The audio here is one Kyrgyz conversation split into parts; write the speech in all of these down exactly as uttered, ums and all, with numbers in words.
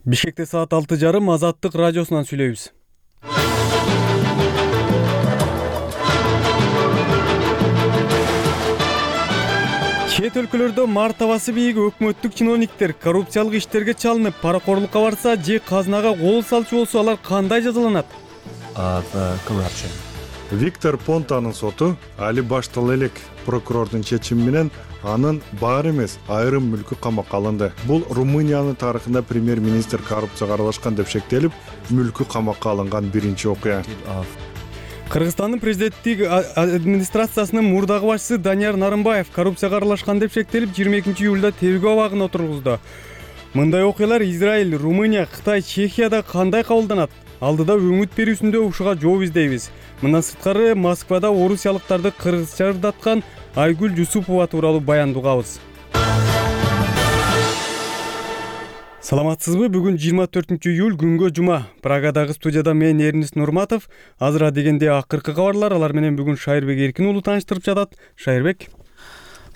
Бишкекте саат алты жарым Азаттык радиосунан сүйлөйбүз. Чет өлкөлөрдө мартабасы бийик өкмөттүк чиновниктер коррупциялык иштерге чалынып, паракорлукка барса же казынага кол салчу болсо алар кандай жазаланат? Виктор Понтанын соту али баштала элек прокурордун чечими менен анын бар эмес айрым мүлкү камакка алынды. Бул Румыниянын тарыхында премьер-министр коррупцияга аралашкан деп шектелип, мүлкү камакка алынган биринчи окуя. Кыргызстандын президенттик администрациясынын мурдагы башчысы Данияр Нарымбаев коррупцияга аралашкан деп шектелип, жыйырма экинчи июлда тергөө абагына отургузду. Мындай окуялар Израиль, Румыния, Кытай, Чехияда кандай кабылданат? Алдыда өңүт берүүсүндө ушуга жооп издейбиз. Мындан сырткары Москвада орусиялыктарды кыргызча ырдаткан Айгүл Жусупова тууралуу баян угабыз. Саламатсызбы? Бүгүн жыйырма төртүнчү июль күнгө жума. Прагадагы студияда мен Эрнис Нурматов. Азыр дегенде акыркы кабарлар, алар менен бүгүн Шайырбек Эркин уулу тааныштырып жатат. Шайырбек.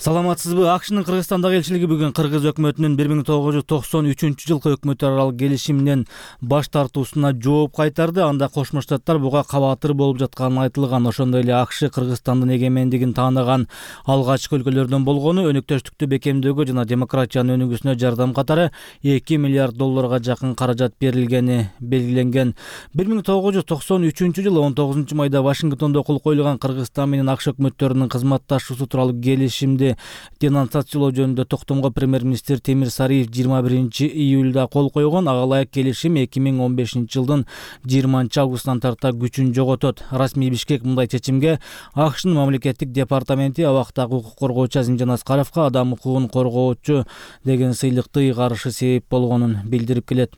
Саламатсызбы? АКШнын Кыргызстандагы элчилиги бүгүн кыргыз өкмөтүнүн бир миң тогуз жүз токсон үчүнчү жылкы өкмөт аралык келишиминен баш тартуусуна жооп кайтарды. Анда Кошмо Штаттар буга кабатыр болуп жатканы айтылган. Ошондой эле АКШ Кыргызстандын эгемендигин таанаган алгачкы өлкөлөрдөн болгону, өнөктөштүктү бекемдөөгө жана демократиянын өнүгүүсүнө жардам катары эки миллиард долларга жакын каражат берилгени белгиленген. бир миң тогуз жүз токсон үчүнчү жылы он тогузунчу майда Вашингтондо кол коюлган Кыргызстан менен АКШ өкмөттөрүнүн кызматташуусу тууралуу келишимди денонсациялоо жөнүндө токтомго премьер-министр Темир Сариев жыйырма биринчи июлда кол койгон. Ага ылайык келишим эки миң он бешинчи жылдын жыйырманчы августунан тарта күчүн жоготот. Расмий Бишкек мындай чечимге АКШнын мамлекеттик департаменти абактагы укук коргоочу Азимжан Аскаровго адам укугун коргоочу деген сыйлыкты ыйгарышы себеп болгонун билдирип келет.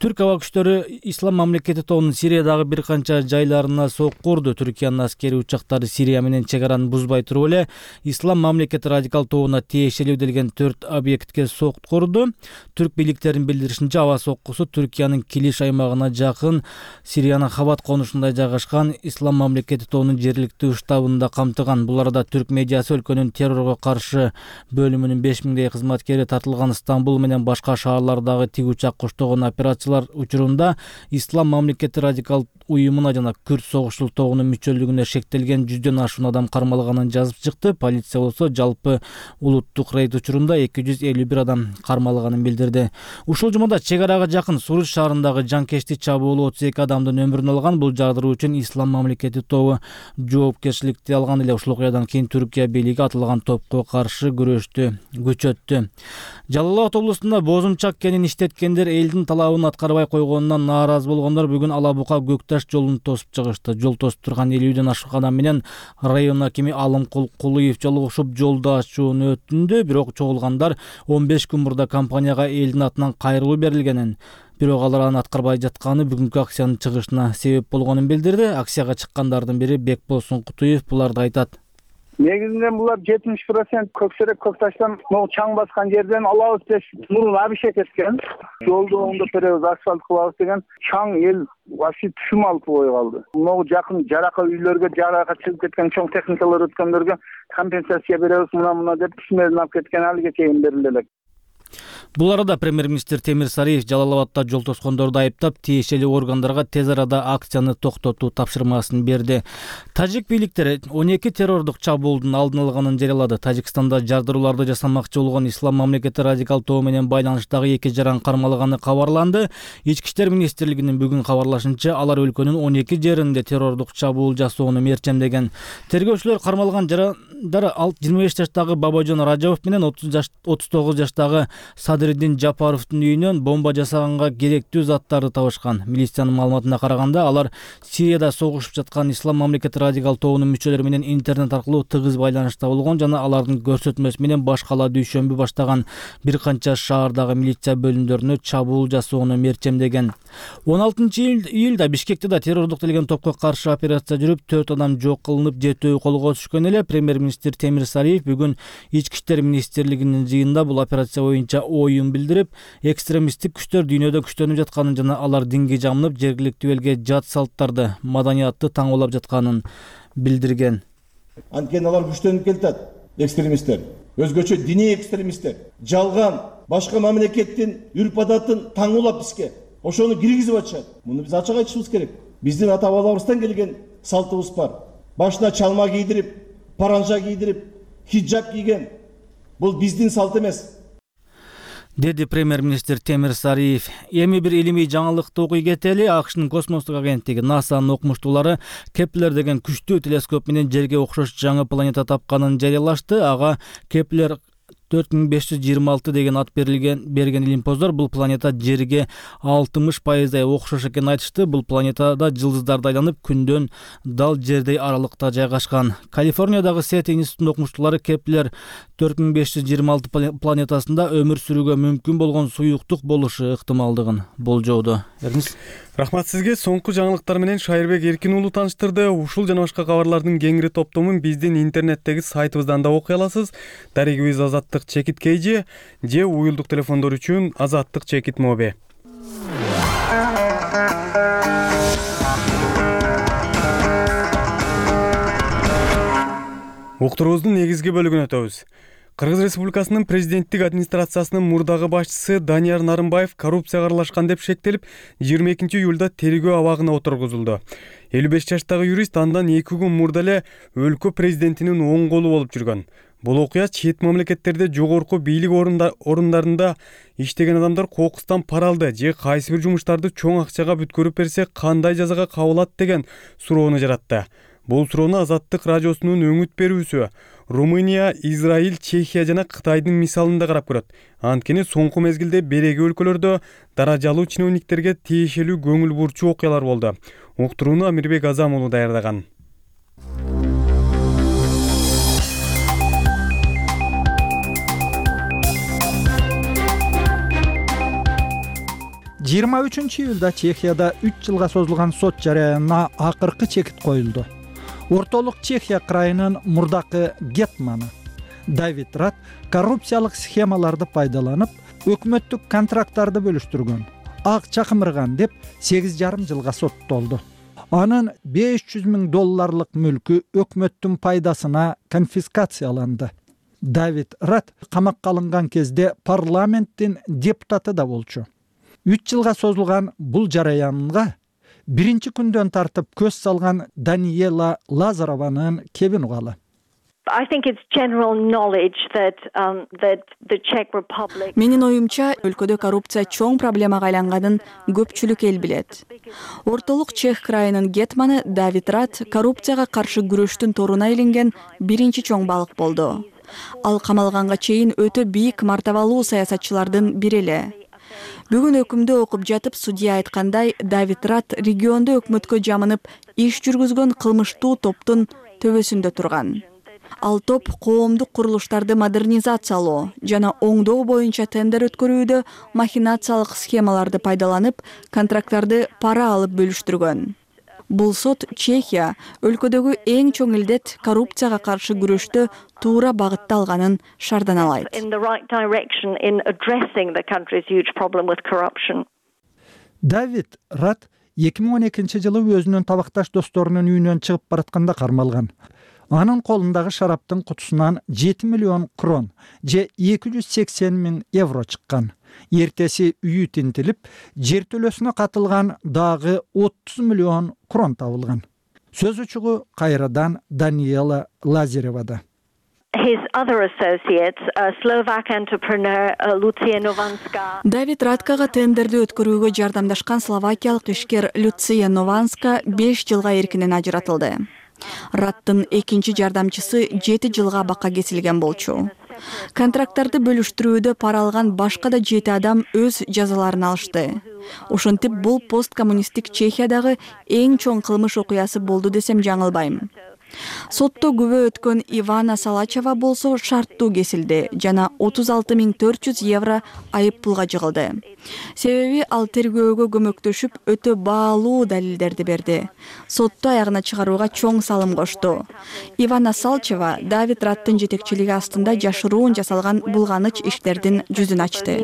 Түрк аба күчтөрү Ислам мамлекети тобунун Сириядагы бир канча жайларына сокку урду. Түркиянын аскери учактары Сирия менен чек араны бузбай туруп эле Ислам мамлекети радикал тобуна тиешелүү делген төрт объектке сокку урду. Түрк бийликтеринин билдиришинче, аба соккусу Түркиянын Килиш аймагына жакын Сириянын Хабат конушунда жайгашкан Ислам мамлекети тобунун жергиликтүү штабында камтыган. Бул арада түрк медиасы өлкөнүн террорго каршы бөлүмүнүн беш миңдей кызматкери тартылган. Стамбул менен башка шаарлардагы тиг учак коштогон операциялар учурунда Ислам мамлекети радикал уюмуна жана Күрд согушчул тобунун мүчөлүгүнө шектелген жүздөн ашуун адам кармалганын жазып чыкты. Полиция болсо жалпы улуттук рейд учурунда эки жүз элүү бир адам кармалганын билдирди. Ушул жумада чек арага жакын Суруч шаарындагы жанкечти чабуул отуз эки адамдын өмүрүн алган. Бул жардыруу үчүн Ислам мамлекети тобу жоопкерчиликти алган эле. Ушул окуядан кийин Түркия бийлиги атылган топко каршы күрөштү күчөттү. Жалал Абад облусунда бозумчак кенин иштеткендер элдин талабын аткарбай койгонунан нааразы болгондор бүгүн Ала Бука Көкташ жолун тосуп чыгышты. Жол тосуп турган элүүдөн ашык адам менен район акими Алымкул Кулуев жолугушуп жолду ачууну өтүндү. Бирок чогулгандар он беш күн мурда компанияга элдин атынан кайрылуу берилгенин, бирок алар аны аткарбай жатканы бүгүнкү акциянын чыгышына себеп болгонун билдирди. Акцияга чыккандардын бири Бекболсун Кутуев буларды айтат. Негизинен булар жетимиш процент Көксерек Көкташтан могу чаң баскан жерден алабыз деп мурун абишет эткен. Жолду оңдоп беребиз, асфальт кылабыз деген чаң эл вообще түшүм алып кой калды. Могу жакын жарака үйлөргө, жарака чыгып кеткен чоң техникалар өткөндөргө компенсация беребиз, мына-мына деп түсмөдөн алып кеткен, алыга чейин берилди элек. Бул арада премьер-министр Темир Сариев Жалал Абадта жол тоскондорду айыптап, тиешелүү органдарга тез арада акцияны токтотуу тапшырмасын берди. Тажик бийликтери он эки террордук чабуулдун алдын алганын жарыялады. Тажикстанда жардырууларды жасамакчы болгон Ислам мамлекети радикал тобу менен байланыштагы эки жаран кармалганы кабарланды. Ички иштер министрлигинин бүгүн кабарлашынча, алар өлкөнүн он эки жеринде террордук чабуул жасоону мерчемдеген. Тергөөчүлөр кармалган жарандар жыйырма беш жаштагы Бабажон Ражабов менен отуз тогуз жаштагы Садыриддин Жапаровдун үйүнөн бомба жасаганга керектүү заттарды табышкан. Милициянын маалыматына караганда, алар Сирияда согушуп жаткан Ислам мамлекети радикал тобунун мүчөлөрү менен интернет аркылуу тыгыз байланышта болгон жана алардын көрсөтмөсү менен баш кала дүйшөмбү баштаган бир канча шаардагы милиция бөлүмдөрүнө чабуул жасоону мерчемдеген. он алтынчы июлда Бишкекте да террордук делген топко каршы операция жүрүп, төрт адам жок кылынып, жетөө колго түшкөн эле. Премьер-министр Темир Сариев бүгүн Ички иштер министрлигинин жыйынында бул операция боюнча оюн билдирип, экстремисттик күчтөр дүйнөдө күчтөнүп жатканын жана алар динге жамынып, жергиликтүү элге жат салттарды, маданиятты таңоолап жатканын билдирген. Анткени алар күчтөнүп келатат, экстремисттер. Өзгөчө диний экстремисттер, жалган башка мамлекеттин үрп адатын таңуулап бизге ошону киргизип атышат. Муну биз ачык айтышыбыз керек. Биздин ата бабаларыбыздан келген салтыбыз бар. Башына чалма кийдирип, паранжа кийдирип, хиджаб кийген. Бул биздин салт эмес. Деди премьер-министр Темир Сариев. Эми бир илимий жаңылыкты окуй кетели. АКШнын космостук агенттиги НАСАнын окумуштуулары Кеплер деген күчтүү телескоп менен жерге окшош жаңы планета тапканын жарыялашты. Ага Кеплер төрт миң беш жүз жыйырма алты деген ат берилген берген илимпоздор бул планета жерге алтымыш пайыздай окшош экенин айтышты. Бул планетада жылдыздарды айланып, күндөн дал жердей аралыкта жайгашкан. Калифорниядагы Сет институтунун окумуштуулары Кеплер төрт миң беш жүз жыйырма алты планетасында өмүр сүрүүгө мүмкүн болгон суюктук болушу ыктымалдыгын болжоодо. Эрнис, рахмат сизге. Соңку жаңылыктар менен Шайырбек Эркин уулу тааныштырды. Ушул жана башка кабарлардын кеңири топтомун биздин интернеттеги сайтыбыздан да окуй аласыз. Дарегибиз Азаттык Чекит Кейжи же уюлдук телефондор үчүн Азаттык Чекит Моби. Уктуруубуздун негизги бөлүгүнө өтөбүз. Кыргыз Республикасынын президенттик администрациясынын мурдагы башчысы Данияр Нарымбаев коррупцияга аралашкан деп шектелип, жыйырма экинчи июлда тергөө абагына отургузулду. элүү беш жаштагы юрист андан эки күн мурда эле өлкө президентинин оң колу болуп жүргөн. Бул окуя чет мамлекеттерде жогорку бийлик орундарында иштеген адамдар кокустан пара алды же кайсы бир жумуштарды чоң акчага бүткөрүп берсе кандай жазага кабылат деген суроону жаратты. Бул суроону Азаттык радиосунун өңүт берүүсү Румыния, Израиль, Чехия жана Кытайдын мисалында карап көрөт. Анткени соңку мезгилде береги өлкөлөрдө даражалуу чиновниктерге тиешелүү көңүл бурчу окуялар болду. Уктурууну Амирбек Азам уулу даярдаган. жыйырма үчүнчү июлда Чехияда үч жылга созулган сот жараянына акыркы чекит коюлду. Ортолук Чехия крайынын мурдакы гетманы Давид Рат коррупциялык схемаларды пайдаланып, өкмөттүк контракттарды бөлүштүргөн, акча кымырган деп сегиз жарым жылга соттолду. Анын беш жүз миң долларлык мүлкү өкмөттүн пайдасына конфискацияланды. Давид Рат камакка алынган кезде парламенттин депутаты да болчу. үч жылга созулган бул жараянга биринчи күндөн тартып көз салган Даниела Лазарованын кебин угалы. Менин оюмча, өлкөдө коррупция чоң проблемага айланганын көпчүлүк эл билет. Ортолук Чех крайынын гетманы Давид Рат коррупцияга каршы күрөштүн торуна илинген биринчи чоң балык болду. Ал камалганга чейин өтө бийик мартабалуу саясатчылардын бири эле. Бүгүн өкүмдү окуп жатып, судья айткандай, Давид Рат региондо өкмөткө жамынып иш жүргүзгөн кылмыштуу топтун төбөсүндө турган. Ал топ коомдук курулуштарды модернизациялоо жана оңдоо боюнча тендер өткөрүүдө махинациялык схемаларды пайдаланып, контракттарды пара алып бөлүштүргөн. Бул сот Чехия өлкөдөгү эң чоң илдет коррупцияга каршы күрөштө туура багытта алганын шарданалайт. Давид Рат эки миң он экинчи жылы өзүнүн табакташ досторунун үйүнөн чыгып баратканда кармалган. Анын колундагы шараптын кутусунан жети миллион крон же эки жүз сексен миң евро чыккан. Эртеси үйү тинтилип, жертөлөсүнө катылган дагы отуз миллион крон табылган. Сөз учугу кайрадан Даниела Лазаревада. Давид Раткага тендерди өткөрүүгө жардамдашкан словакиялык ишкер Люция Нованска беш жылга эркинен ажыратылды. Раттын экинчи жардамчысы жети жылга абакка кесилген болчу. Контракттарды бөлүштүрүүдө пара алган башка да жети адам өз жазаларын алышты. Ошентип бул посткоммунисттик Чехиядагы эң чоң кылмыш окуясы болду десем жаңылбайм. Сотто күбө өткөн Ивана Салачева болсо шарттуу кесилди жана отуз алты миң төрт жүз евро айып пулга жыгылды. Себеби ал тергөөгө көмөктөшүп өтө баалуу далилдерди берди. Сотто аягына чыгарууга чоң салым кошту. Ивана Салачева Давид Раттын жетекчилиги астында жашыруун жасалган булганыч иштердин жүзүн ачты.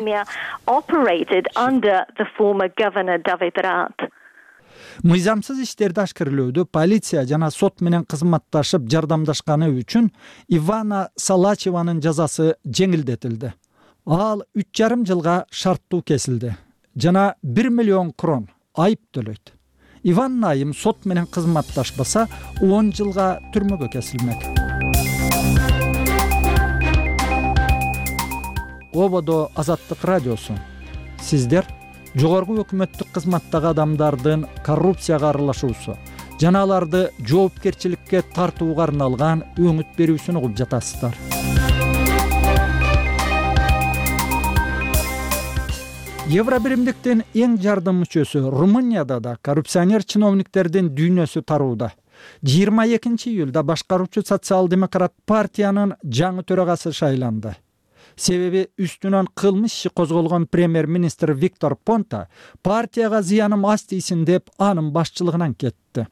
Мыйзамсыз иштерди ашкерлөөдө полиция жана сот менен кызматташып жардамдашканы үчүн Ивана Салачеванын жазасы жеңилдетилди. Ал үч жарым жылга шарттуу кесилди жана бир миллион крон айып төлөйт. Иван Найым сот менен кызматташпаса он жылга түрмөгө кесилмек. Ободо Азаттык радиосу. Сиздер жогорку өкмөттүк кызматтагы адамдардын коррупцияга аралашуусу жана аларды жоопкерчиликке тартууга арналган өңүт берүүсүн угуп жатасыздар. Евробиримдиктин эң жардым мүчөсү Румынияда да коррупционер чиновниктердин дүйнөсү тарууда. жыйырма экинчи июлда башкаруучу социал-демократ партиянын жаңы төрагасы шайланды. Себеби үстүнөн кылмыш иши козголгон премьер-министр Виктор Понта партияга зыяным аз тийсин деп анын башчылыгынан кетти.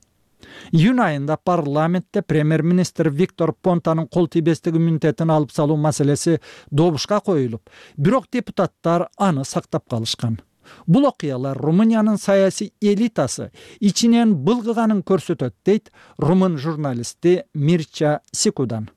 Июнь айында парламентте премьер-министр Виктор Понтанын кол тийбестик иммунитетин алып салуу маселеси добушка коюлуп, бирок депутаттар аны сактап калышкан. Бул окуялар Румыниянын саясий элитасы ичинен былгыганын көрсөтөт, дейт румын журналисти Мирча Сикудан.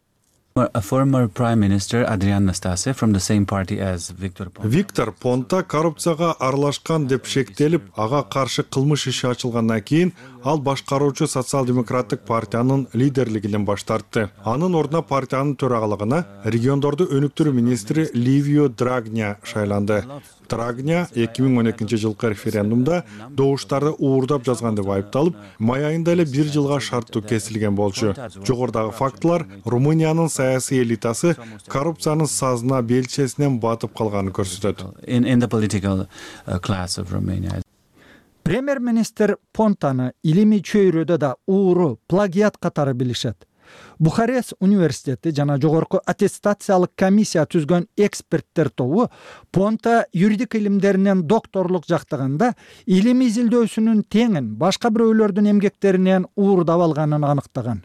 A former Prime Minister Adrian Nastase from the same party as Viktor Ponta. Виктор Понта коррупцияга аралашкан деп шектелип, ага каршы кылмыш иши ачылгандан кийин ал башкаруучу социал-демократтык партиянын лидерлигинен баш тартты. Анын ордуна партиянын төрагалыгына региондорду өнүктүрүү министри Ливио Драгня шайланды. Драгня эки миң он экинчи жылкы референдумда добуштарды уурдап жазган деп айыпталып, май айында эле бир жылга шарттуу кесилген болчу. Жогорудагы фактылар Румыниянын саясий элитасы коррупциянын сазына белчесинен батып калганын көрсөтөт. In, in the political uh, class of Romania. Премьер-министр Понтаны илимий чөйрөдө да ууру, плагиат катары билишет. Бухарест университети жана жогорку аттестациялык комиссия түзгөн эксперттер тобу Понта юридик илимдеринен докторлук жактаганда илим изилдөөсүнүн теңин башка бирөөлөрдүн эмгектеринен уурдап алганын аныктаган.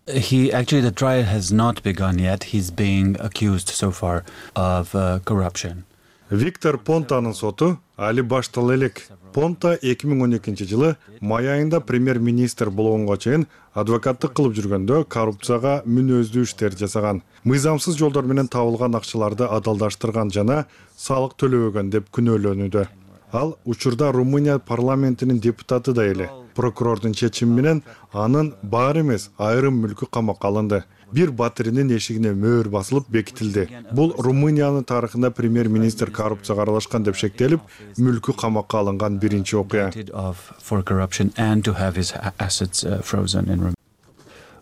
He actually the trial has not begun yet. He's being accused so far of uh, corruption. Виктор Понтанын соту али баштала элек. Понта эки миң он экинчи жылы май айында премьер-министр болгонго чейин адвокаттык кылып жүргөндө коррупцияга мүнөздүү иштер жасаган. Мыйзамсыз жолдор менен табылган акчаларды адалдаштырган жана салык төлөбөгөн деп күнөөлөнүүдө. Ал учурда Румыния парламентинин депутаты да эле. Прокурордун чечими менен анын баары эмес айрым мүлкү камакка алынды. Бир батиринин эшигине мөөр басылып бекитилди. Бул Румыниянын тарыхында премьер-министр коррупцияга аралашкан деп шектелип, мүлкү камакка алынган биринчи окуя.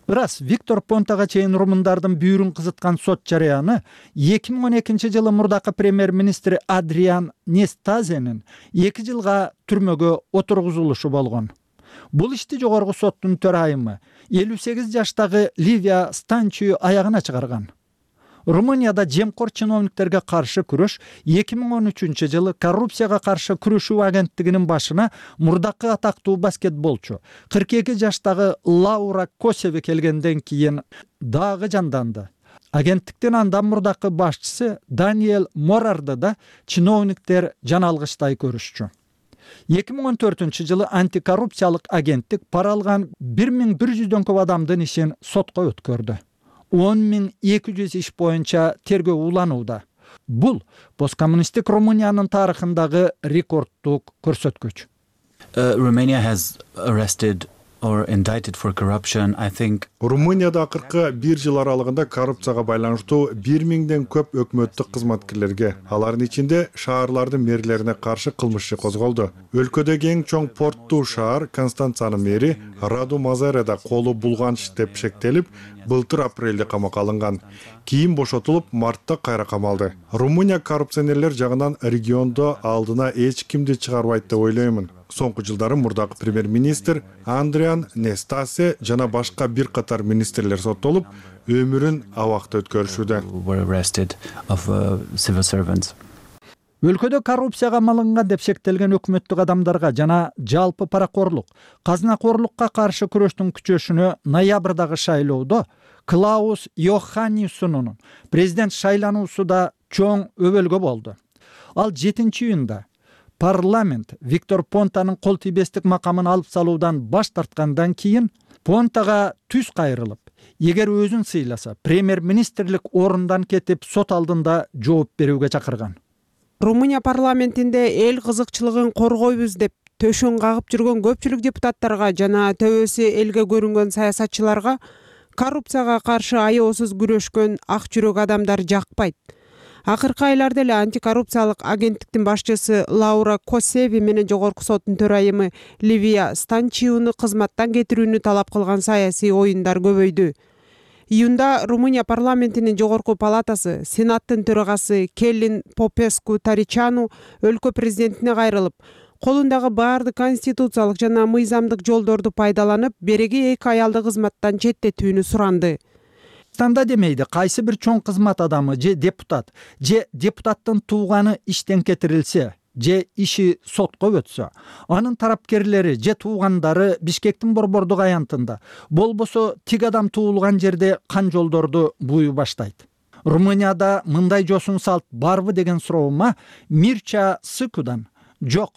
Ырас Виктор Понтага чейин румындардын бүйүрүн кызыткан сот жарыяны эки миң он экинчи жылы мурдакы премьер-министр Адриан Нестазенин эки жылга түрмөгө отургузулушу болгон. Бул ишти жогорку соттун төрайымы элүү сегиз жаштагы Ливия Станчию аягына чыгарган. Румынияда жемкор чиновниктерге каршы күрөш эки миң он үчүнчү жылы коррупцияга каршы күрөшүү агенттигинин башына мурдакы атактуу баскетболчу кырк эки жаштагы Лаура Косеви келгенден кийин дагы жанданды. Агенттиктин андан мурдакы башчысы Даниэль Морарды да чиновниктер жаналгычтай көрүшчү. эки миң он төртүнчү жылы антикоррупциялык агенттик пара алган бир миң бир жүздөн көп адамдын ишин сотко өткөрдү. он миң эки жүз иш боюнча тергөө уланууда. Бул посткоммунисттик Румыниянын тарыхындагы рекорддук көрсөткүч. Uh, Romania has arrested or indicted for corruption, I think. Румынияда акыркы бир жыл аралыгында коррупцияга байланыштуу бир миңден көп өкмөттүк кызматкерлерге, алардын ичинде шаарлардын мэрлерине каршы кылмыш иши козголду. Өлкөдөгү эң чоң порттуу шаар Констанцанын мэри Раду Мазареда колу булганч деп шектелип, былтыр апрелде камакка алынган. Кийин бошотулуп, мартта кайра камалды. Румыния коррупционерлер жагынан региондо алдына эч кимди чыгарбайт деп ойлоймун. Соңку жылдары мурдакы премьер-министр Адриан Нестасе жана башка бир катар министрлер соттолуп, өмүрүн абакта өткөрүшүүдө. Өлкөдө коррупцияга малынган деп шектелген өкмөттүк адамдарга жана жалпы паракорлук, казынакорлукка каршы күрөштүн күчөшүнө ноябрдагы шайлоодо Клаус Йоханнессонун президент шайлануусу да чоң өбөлгө болду. Ал жетинчи июнда парламент Виктор Понтанын кол тийбестик макамын алып салуудан баш тарткандан кийин Понтага түз кайрылып, эгер өзүн сыйласа премьер-министрлик орундан кетип сот алдында жооп берүүгө чакырган. Румыния парламентинде эл кызыкчылыгын коргойбуз деп төшөн кагып жүргөн көпчүлүк депутаттарга жана төбөсү элге көрүнгөн саясатчыларга коррупцияга каршы аеосуз күрөшкөн ак жүрөк адамдар жакпайт. Акыркы айларда эле антикоррупциялык агенттиктин башчысы Лаура Косеви менен жогорку соттун төрайымы Ливия Станчиуну кызматтан кетирүүнү талап кылган саясий оюндар көбөйдү. Июнда Румыния парламентинин жогорку палатасы Сенаттын төрагасы Келлин Попеску Таричану өлкө президентине кайрылып, колундагы баардык конституциялык жана мыйзамдык жолдорду пайдаланып, береги эки аялды кызматтан четтетүүнү суранды. Станда демейди кайсы бир чоң кызмат адамы же депутат же депутаттын тууганы иштен кетирилсе же иши сотко өтсө, анын тарапкерлери же туугандары Бишкектин борбордук аянтында болбосо тиг адам туулган жерде кан жолдорду бууй баштайт. Румынияда мындай жосун салт барбы деген суроома Мирча Сыкудан жок.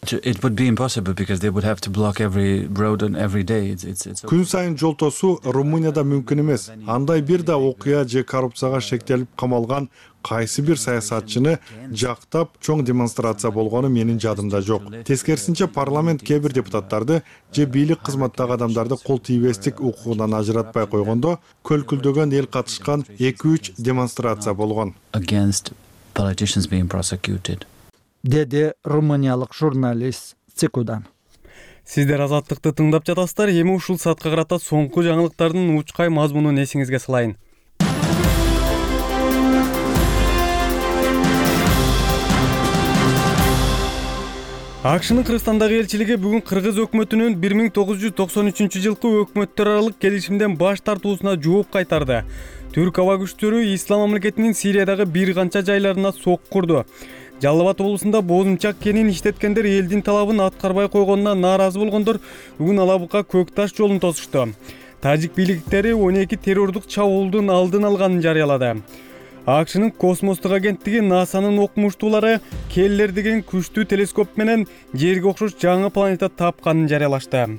It would be impossible because they would have to block every road on every day. It's, it's, it's... Күн сайын жол тосуу Румынияда мүмкүн эмес. Андай бир да окуя же коррупцияга шектелип камалган кайсы бир саясатчыны жактап чоң демонстрация болгону менин жадымда жок. Тескерисинче парламент кээ бир депутаттарды же бийлик кызматтагы адамдарды кол тийбестик укугунан ажыратпай койгондо көлкүлдөгөн эл катышкан эки үч демонстрация болгон. Against politicians being prosecuted. Деди румыниялык журналист Цикудан. Сиздер Азаттыкты тыңдап жатасыздар. Эми ушул саатка карата соңку жаңылыктардын учкай мазмунун эсиңизге салайын. АКШнын Кыргызстандагы элчилиги бүгүн Кыргыз өкмөтүнүн бир миң тогуз жүз токсон үчүнчү жылкы өкмөттөр аралык келишимден баш тартуусуна жооп кайтарды. Түрк аба күчтөрү Ислам мамлекетинин Сириядагы бир канча жайларына сок курду. Жалал Абад облусунда боозунчак кенин иштеткендер элдин талабын аткарбай койгонуна нааразы болгондор бүгүн Алабука Көк Таш жолун тосушту. Тажик бийликтери он эки террордук чабуулдун алдын алганын жарыялады. АКШнын космостук агенттиги НАСАнын окумуштуулары Келлер деген күчтүү телескоп менен Жерге окшош жаңы планета тапканын жарыялашты.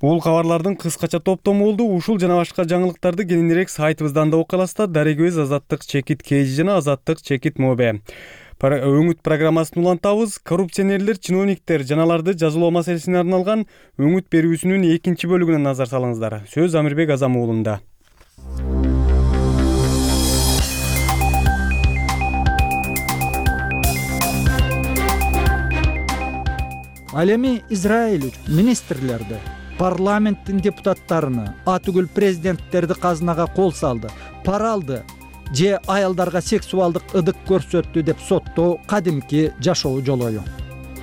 Бул кабарлардын кыскача топтому болду. Ушул жана башка жаңылыктарды кененирээк сайтыбыздан да окуй аласыздар. Дарегөз Азаттык чекит кж жана Азаттык чекит мобе. Өңүт программасын улантабыз. Коррупционерлер, чиновниктер жаналарды жазалоо маселесине арналган өңүт берүүсүнүн экинчи бөлүгүнө назар салыңыздар. Сөз Амирбек Азам уулунда. Ал эми Израиль министрлерди, парламенттин депутаттарыны, атүгүл президенттерди казынага кол салды, пара алды же аялдарга сексуалдык ыдык көрсөттү деп соттоо кадимки жашоо жолою.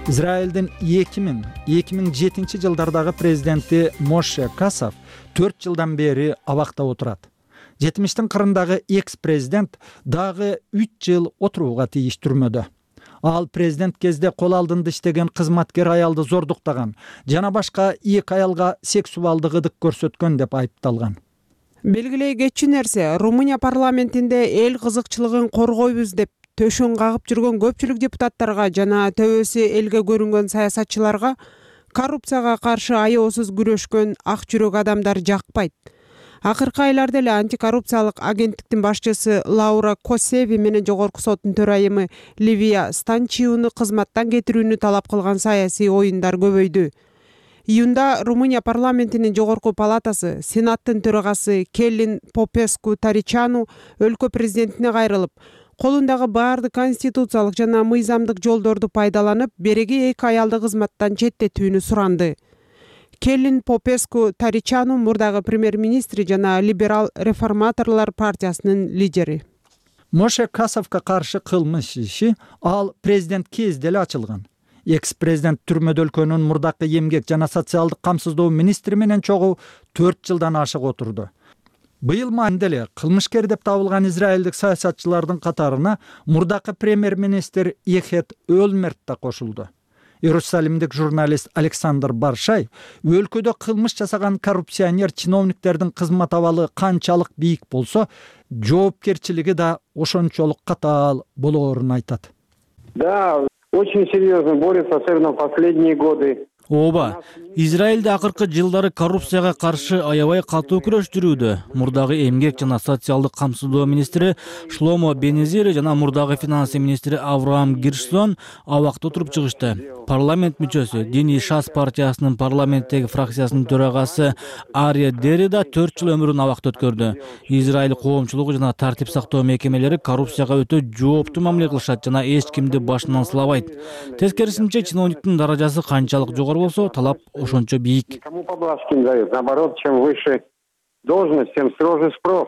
Израилдин эки миң эки миң жетинчи жылдардагы президенти Моше Касов төрт жылдан бери абакта отурат. жетимиштин кырындагы экс-президент дагы үч жыл отурууга тийиш түрмөдө. Ал президент кезде кол алдында иштеген кызматкер аялды зордуктаган жана башка эки аялга сексуалдык ыдык көрсөткөн деп айыпталган. Белгилей кетчү нерсе, Румыния парламентинде эл кызыкчылыгын коргойбуз деп төшөн кагып жүргөн көпчүлүк депутаттарга жана төбөсү элге көрүнгөн саясатчыларга коррупцияга каршы аеосуз күрөшкөн ак жүрөк адамдар жакпайт. Акыркы айларда эле антикоррупциялык агенттиктин башчысы Лаура Косеви менен жогорку соттун төрайымы Ливия Станчиуну кызматтан кетирүүнү талап кылган саясий оюндар көбөйдү. Июнда Румыния парламентинин жогорку палатасы Сенаттын төрагасы Келлин Попеску Таричану өлкө президентине кайрылып, колундагы баардык конституциялык жана мыйзамдык жолдорду пайдаланып, береги эки аялды кызматтан четтетүүнү суранды. Келлин Попеску Таричану мурдагы премьер-министри жана либерал реформаторлор партиясынын лидери. Моше Касовго каршы кылмыш иши ал президент кезде эле ачылган. Экс-президент түрмөдө өлкөнүн мурдакы эмгек жана социалдык камсыздоо министри менен чогуу төрт жылдан ашык отурду. Быйыл майында эле кылмышкер деп табылган израилдик саясатчылардын катарына мурдакы премьер-министр Эхет Өлмерт да кошулду. Иерусалимдик журналист Александр Баршай өлкөдө кылмыш жасаган коррупционер чиновниктердин кызмат абалы канчалык бийик болсо, жоопкерчилиги да ошончолук катаал болоорун айтат. Да, очень серьезно борется, особенно в последние годы. Ооба, Израилде акыркы жылдары коррупцияга каршы аябай катуу күрөш жүрүүдө. Мурдагы эмгек жана социалдык камсыздоо министри Шломо Бенезир жана мурдагы финансы министри Авраам Гиршсон абакта отуруп чыгышты. Парламент мүчөсү, Диний Шас партиясынын парламенттеги фракциясынын төрагасы Ария Дери да төрт жыл өмүрүн абакта өткөрдү. Израиль коомчулугу жана тартип сактоо мекемелери коррупцияга өтө жооптуу мамиле кылышат жана эч кимди башынан сылабайт. Тескерисинче, чиновниктин даражасы канчалык жогору болсо, талап ошончо бийик. Кому поблажки не дают? Наоборот, чем выше должность, тем строже спрос.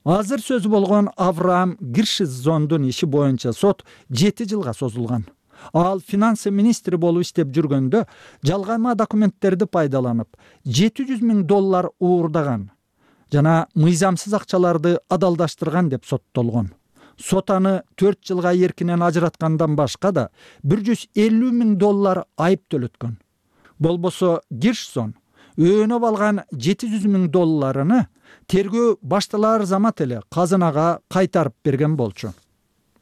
Азыр сөзү болгон Авраам Гиршзондун иши боюнча сот жети жылга созулган. Ал финансы министри болуп иштеп жүргөндө жалгама документтерди пайдаланып, жети жүз миң доллар уурдаган жана мыйзамсыз акчаларды адалдаштырган деп соттолгон. Сот аны төрт жылга эркинен ажыраткандан башка да бир жүз элүү миң доллар айып төлөткөн. Болбосо Гиршсон өөнөп алган жети жүз миң долларыны тергөө башталар замат эле казынага кайтарып берген болчу.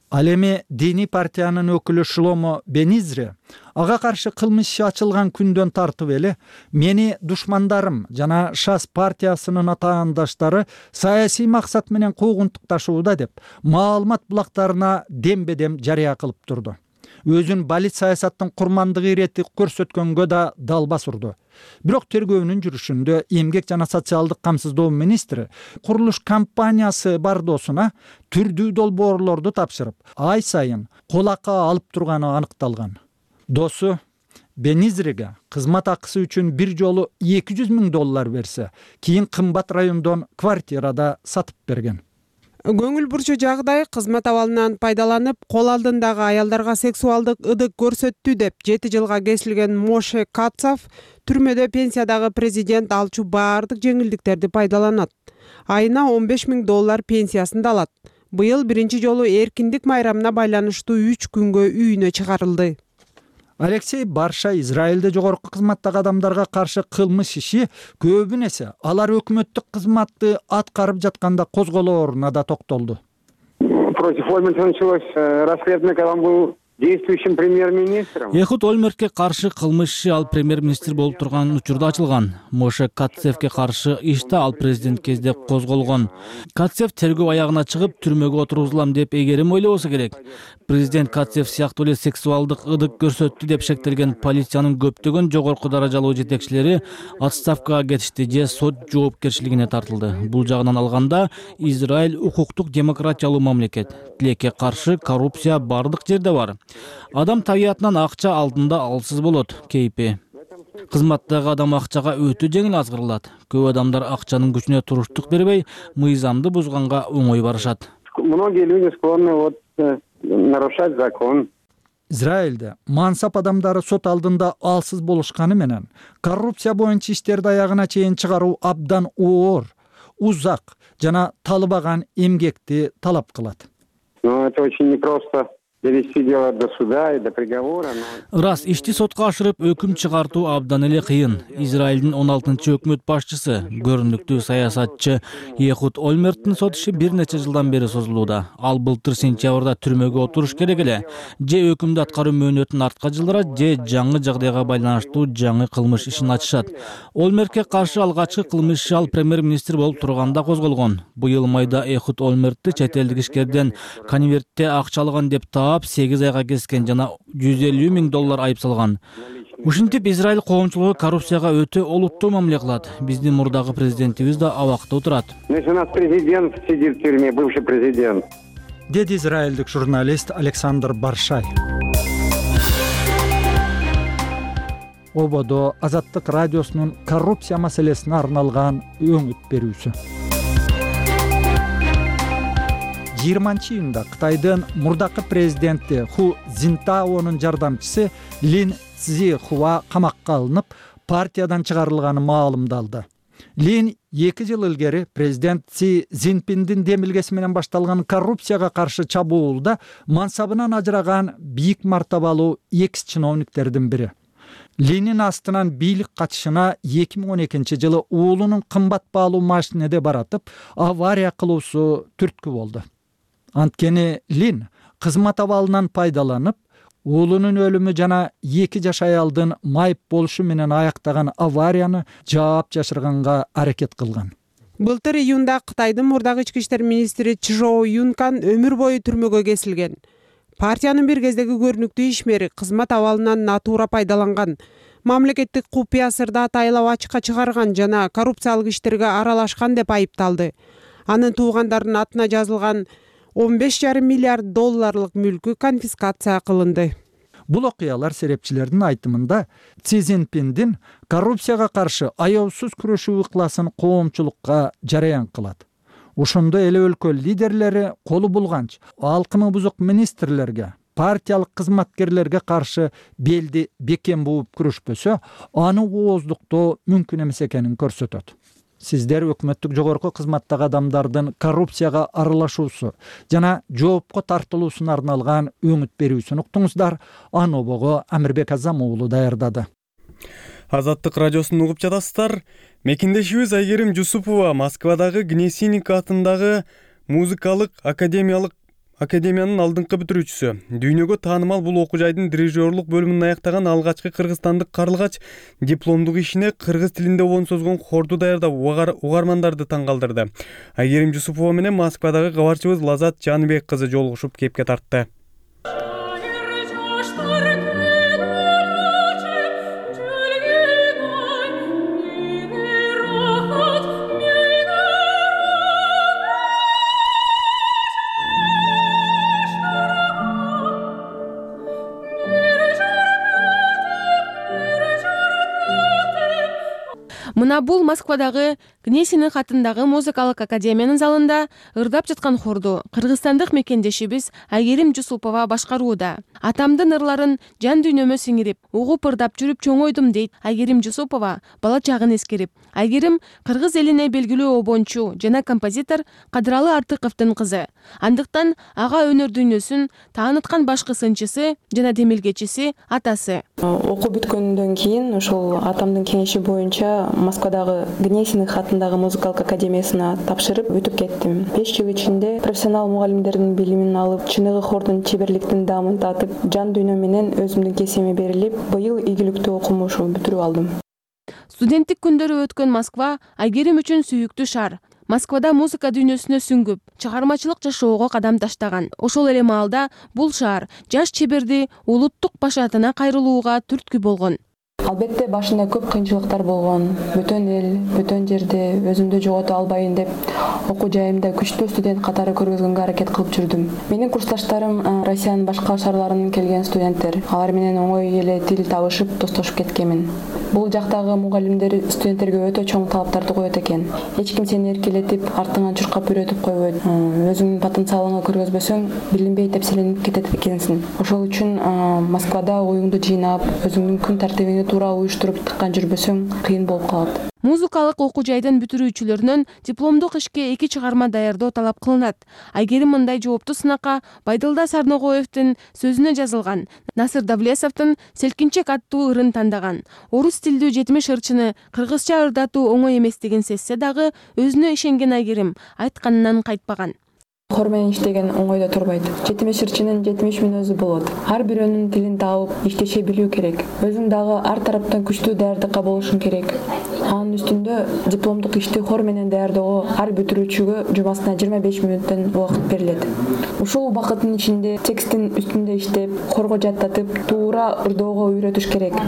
Ал эми диний партиянын өкүлү Шломо Бенизри ага каршы кылмыш иши ачылган күндөн тартып эле мени душмандарым жана Шас партиясынын атаандаштары саясий максат менен куугунтукташууда деп маалымат булактарына дембедем жарыя кылып турду. Өзүн балит саясаттын курмандыгы ирети көрсөткөнгө да далбас урду. Бирок тергөөнүн жүрүшүндө эмгек жана социалдык камсыздоо министри курулуш компаниясы бардоосуна түрдүү долбоорлорду тапшырып, ай сайын кол акы алып турганы аныкталган. Досу Бенизриге кызмат акысы үчүн бир жолу эки жүз миң доллар берсе, кийин кымбат райондон квартирада сатып берген. Көңүл бурчу жагдай кызмат абалынан пайдаланып, кол алдындагы аялдарга сексуалдык ыдык көрсөттү деп жети жылга кесилген Моше Катцев түрмөдө пенсиядагы президент алчу баардык жеңилдиктерди пайдаланат. Айына он беш миң доллар пенсиясын да алат. Быйыл биринчи жолу эркиндик майрамына байланыштуу үч күнгө үйүнө чыгарылды. Алексей Барша Израилде жогорку кызматтагы адамдарга каршы кылмыш иши көбүн эсе алар өкмөттүк кызматты аткарып жатканда козголооруна да токтолду. Против Ольмерта началось расследование, когда он был действующим премьер-министром. Эхуд Ольмертке каршы кылмыш иши ал премьер-министр болуп турган учурда ачылган. Моше Катцевке каршы иш да ал президент кезде козголгон. Катцев тергөө аягына чыгып, түрмөгө отургузулам деп эгерим ойлобосо керек. Президент Катцев сыяктуу эле сексуалдык ыдык көрсөттү деп шектелген полициянын көптөгөн жогорку даражалуу жетекчилери отставкага кетишти же сот жоопкерчилигине тартылды. Бул жагынан алганда Израиль укуктук демократиялуу мамлекет. Тилекке каршы коррупция бардык жерде бар. Адам табиятынан акча алдында алсыз болот, кейпи. Кызматтагы адам акчага өтө жеңил азгырылат. Көп адамдар акчанын күчүнө туруштук бербей, мыйзамды бузганга оңой барышат. Многие люди склонны вот нарушать закон. Израилде мансап адамдары сот алдында алсыз болушканы менен коррупция боюнча иштерди аягына чейин чыгаруу абдан оор, узак жана талыбаган эмгекти талап кылат. Но это очень непросто. Довести дело до суда и до приговора. Рас, ишти сотко ашырып өкүм чыгартуу абдан эле кыйын. Израилдин он алтынчы өкмөт башчысы, көрүнүктүү саясатчы Эхуд Ольмерттин сот иши бир нече жылдан бери созулууда. Ал былтыр сентябрда түрмөгө отуруш керек эле. Же өкүмдү аткаруу мөөнөтүн артка жылдырат, же жаңы жагдайга байланыштуу жаңы кылмыш ишин ачышат. Ольмертке каршы алгачкы кылмыш иши ал премьер-министр болуп турганда козголгон. Быйыл майда Эхуд Ольмертти чет элдик ишкерден конвертте акча алган деп таап сегиз айга кескен жана жүз элүү миң доллар айып салган. Ушинтип Израиль коомчулугу коррупцияга өтө олуттуу мамиле кылат. Биздин мурдагы президентибиз да абакта отурат. Значит, у нас президент сидит в тюрьме, бывший президент. Деди израилдик журналист Александр Баршай. Ободо Азаттык радиосунун коррупция маселесине арналган өңүт берүүсү. жыйырманчы июнда Кытайдын мурдакы президенти Ху Цзинтаонун жардамчысы Лин Цзихуа камакка алынып, партиядан чыгарылганы маалымдалды. Лин эки жыл илгери президент Си Цзиньпиндин демилгеси менен башталган коррупцияга каршы чабуулда мансабынан ажыраган бийик мартабалуу экс чиновниктердин бири. Линин астынан бийлик качышына эки миң он экинчи жылы уулунун кымбат баалуу машинеде баратып, авария кылуусу түрткү болду. Анткени Лин кызмат абалынан пайдаланып, уулунун өлүмү жана эки жаш аялдын майып болушу менен аяктаган аварияны жаап жашырганга аракет кылган. Былтыр июнда Кытайдын мурдагы ички иштер министри Чжоу Юнкан өмүр бою түрмөгө кесилген. Партиянын бир кездеги көрүнүктүү ишмери кызмат абалынан натуура пайдаланган, мамлекеттик купуя сырды атайлап ачыкка чыгарган жана коррупциялык иштерге аралашкан деп айыпталды. Анын туугандарынын атына жазылган он беш жарым миллиард долларлык мүлкү конфискация кылынды. Бул окуялар серепчилердин айтымында Си Цзиньпиндин коррупцияга каршы аеусуз күрөшүү ыкласын коомчулукка жараян кылат. Ошондо эле өлкө лидерлери колу булганча алкымы бузук министрлерге, партиялык кызматкерлерге каршы белди бекем бууп күрөшпөсө, аны ооздуктоо мүмкүн эмес экенин көрсөтөт. Сиздер өкмөттүк жогорку кызматтагы адамдардын коррупцияга аралашуусу жана жоопко тартылуусуна арналган өңүт берүүсүн уктуңуздар. Аны обого Амирбек Азам уулу даярдады. Азаттык радиосун угуп жатасыздар. Мекендешибиз Айгерим Жусупова Москвадагы Гнесинник атындагы музыкалык академиялык академиянын алдыңкы бүтүрүүчүсү. Дүйнөгө таанымал бул окуу жайдын дирижерлук бөлүмүн аяктаган алгачкы кыргызстандык карлыгач дипломдук ишине кыргыз тилинде обон созгон хорду даярдап угармандарды таң калтырды. Айгерим Жусупова менен Москвадагы кабарчыбыз Лазат Жаныбек кызы жолугушуп кепке тартты. Мына бул Москвадагы Гнесинник атындагы музыкалык академиянын залында ырдап жаткан хорду кыргызстандык мекендешибиз Айгерим Жусупова башкарууда. Атамдын ырларын жан дүйнөмө сиңирип, угуп ырдап жүрүп чоңойдум дейт Айгерим Жусупова бала чагын эскерип. Айгерим кыргыз элине белгилүү обончу жана композитор Кадыралы Артыковдун кызы. Андыктан ага өнөр дүйнөсүн тааныткан башкы сынчысы жана демилгечиси атасы. Окуу бүткөндөн кийин ошол атамдын кеңеши боюнча Москвадагы Гнесинник атындагы музыкалык академиясына тапшырып өтүп кеттим. беш жыл ичинде профессионал мугалимдердин билимин алып, чыныгы хордун чеберликтин даамын татып, жан дүйнө менен өзүмдүн кесибиме берилип, быйыл ийгиликтүү окумушу бүтүрүп алдым. Студенттик күндөрү өткөн Москва Айгерим үчүн сүйүктүү шаар. Москвада музыка дүйнөсүнө сүңгүп, чыгармачылык жашоого кадам таштаган. Ошол эле маалда бул шаар жаш чеберди улуттук башаатына кайрылууга түрткү болгон. Албетте башында көп кыйынчылыктар болгон. Бөтөн эл, бөтөн жерде өзүмдү жогото албайын деп окуу жайымда күчтүү студент катары көргөзгөнгө аракет кылып жүрдүм. Менин курсташтарым Россиянын башка шаарларынан келген студенттер. Алар менен оңой эле тил табышып, достошуп кеткенмин. Бул жактагы мугалимдер студенттерге өтө чоң талаптарды коет экен. Эч ким сени эркелетип, артыңан чуркап үйрөтүп койбойт. Өзүңдүн потенциалыңы көргөзбөсөң, билинбей тепселенип кетет экенсиң. Ошол үчүн Москвада оюңду жыйнап, өзүңдүн күн тартибиңди туура уюштуруп тыккан жүрбөсөң, кыйын болуп калат. Музыкалык окуу жайдын бүтүрүүчүлөрүнөн дипломдук ишке эки чыгарма даярдоо талап кылынат. Айгерим мындай жооптуу сынакка Байдылда Сарногоевдин сөзүнө жазылган Насыр Давлесовдун Селкинчек аттуу ырын тандаган. Орус тилдүү жетимиш ырчыны кыргызча ырдатуу оңой эместигин сезсе дагы, өзүнө ишенген Айгерим айтканынан кайтпаган. Хор менен иштеген оңойдо турбайт. жетимиш ырчынын жетимиш мүнөзү болот. Ар бирөөнүн тилин таап, иштеше билүү керек. Өзүң дагы ар тараптан күчтүү даярдыкка болушуң керек. Анын үстүндө дипломдук ишти хор менен даярдоого ар бүтүрүүчүгө жумасына жыйырма беш мүнөттөн убакыт берилет. Ушул убакыттын ичинде текстин үстүндө иштеп, хорго жаттатып, туура ырдоого үйрөтүш керек.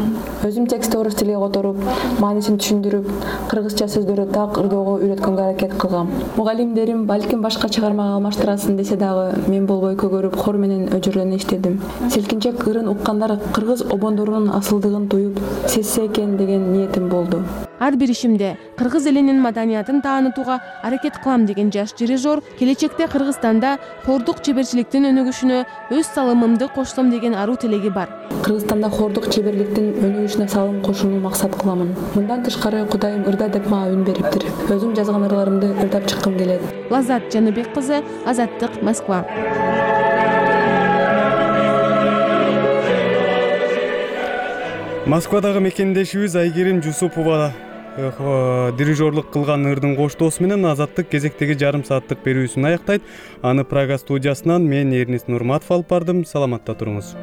Өзүм текстти орус тилине которуп, маанисин түшүндүрүп, кыргызча сөздөрдү так ырдоого үйрөткөнгө аракет кылгам. Мугалимдерим балким башка чыгармага алмаштырасың десе дагы, мен болбой көгөрүп хор менен өжүрлөнө иштедим. Селкинчек ырын уккандар кыргыз обондорунун асылдыгын туюп, сезсе экен деген ниетим болду. Ар бир ишимде кыргыз элинин маданиятын таанытууга аракет кылам деген жаш дирижер келечекте Кыргызстанда хордук чеберчиликтин өнүгүшүнө өз салымымды кошсом деген аруу тилеги бар. Кыргызстанда хордук чеберликтин өнүгүшүнө салым кошууну максат кыламын. Мындан тышкары Кудайым ырда деп мага үн бериптир. Өзүм жазган ырларымды ырдап чыккым келет. Лазат Жаныбек кызы, Азаттык, Москва. Москвадагы мекендешибиз Айгерим Жусупова дирижерлук кылган ырдын коштоосу менен Азаттык кезектеги жарым сааттык берүүсүн аяктайт. Аны Прага студиясынан мен Эрнис Нурматов алып бардым. Саламатта туруңуз.